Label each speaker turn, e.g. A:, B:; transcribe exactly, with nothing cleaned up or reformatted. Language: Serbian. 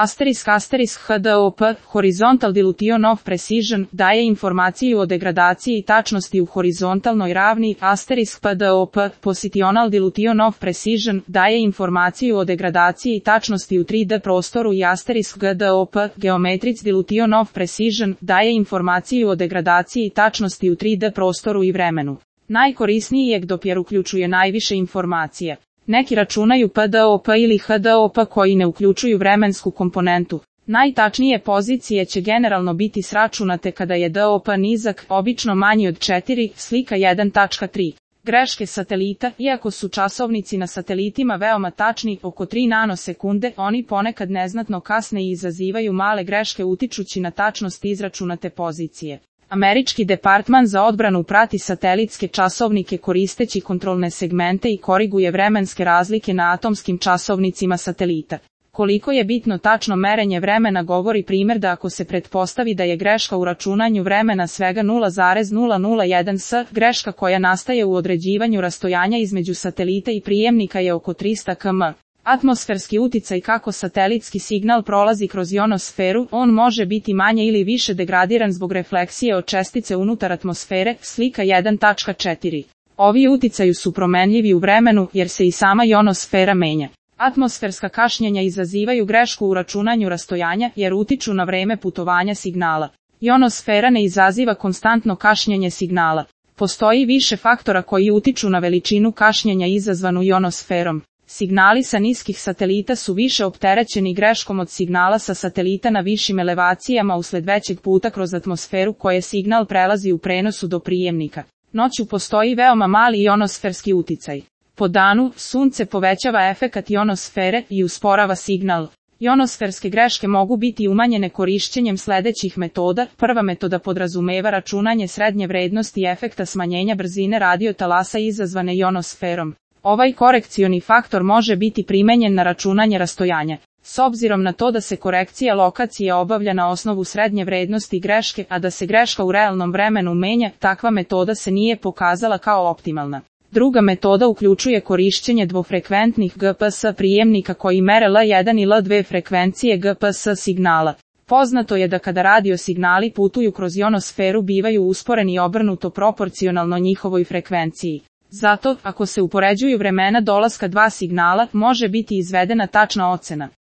A: Asterisk asterisk H D O P, Horizontal Dilution of Precision, daje informaciju o degradaciji i tačnosti u horizontalnoj ravni, asterisk P D O P, Positional Dilution of Precision, daje informaciju o degradaciji i tačnosti u tri D prostoru i asterisk G D O P, Geometric Dilution of Precision, daje informaciju o degradaciji i tačnosti u tri D prostoru i vremenu. Najkorisniji je dopjer uključuje najviše informacije. Neki računaju P D O P ili H D O P koji ne uključuju vremensku komponentu. Najtačnije pozicije će generalno biti sračunate kada je D O P nizak, obično manji od četiri, slika jedan tačka tri. Greške satelita, iako su časovnici na satelitima veoma tačni, oko tri nanosekunde, oni ponekad neznatno kasne i izazivaju male greške utičući na tačnost izračunate pozicije. Američki departman za odbranu prati satelitske časovnike koristeći kontrolne segmente i koriguje vremenske razlike na atomskim časovnicima satelita. Koliko je bitno tačno merenje vremena govori primjer da ako se pretpostavi da je greška u računanju vremena svega nula zarez nula nula jedan s, greška koja nastaje u određivanju rastojanja između satelita i prijemnika je oko trista kilometara. Atmosferski uticaj kako satelitski signal prolazi kroz ionosferu, on može biti manje ili više degradiran zbog refleksije od čestice unutar atmosfere, slika jedan tačka četiri. Ovi uticaju su promenljivi u vremenu jer se i sama ionosfera menja. Atmosferska kašnjenja izazivaju grešku u računanju rastojanja jer utiču na vreme putovanja signala. Ionosfera ne izaziva konstantno kašnjenje signala. Postoji više faktora koji utiču na veličinu kašnjenja izazvanu ionosferom. Signali sa niskih satelita su više opterećeni greškom od signala sa satelita na višim elevacijama usled većeg puta kroz atmosferu koje signal prelazi u prenosu do prijemnika. Noću postoji veoma mali ionosferski uticaj. Po danu, sunce povećava efekat ionosfere i usporava signal. Ionosferske greške mogu biti umanjene korišćenjem sledećih metoda. Prva metoda podrazumeva računanje srednje vrednosti efekta smanjenja brzine radiotalasa izazvane ionosferom. Ovaj korekcioni faktor može biti primenjen na računanje rastojanja. S obzirom na to da se korekcija lokacije obavlja na osnovu srednje vrednosti greške, a da se greška u realnom vremenu menja, takva metoda se nije pokazala kao optimalna. Druga metoda uključuje korišćenje dvofrekventnih G P S prijemnika koji mere L jedan i L dva frekvencije G P S signala. Poznato je da kada radio signali putuju kroz ionosferu bivaju usporeni i obrnuto proporcionalno njihovoj frekvenciji. Zato, ako se upoređuju vremena dolaska dva signala, može biti izvedena tačna ocena.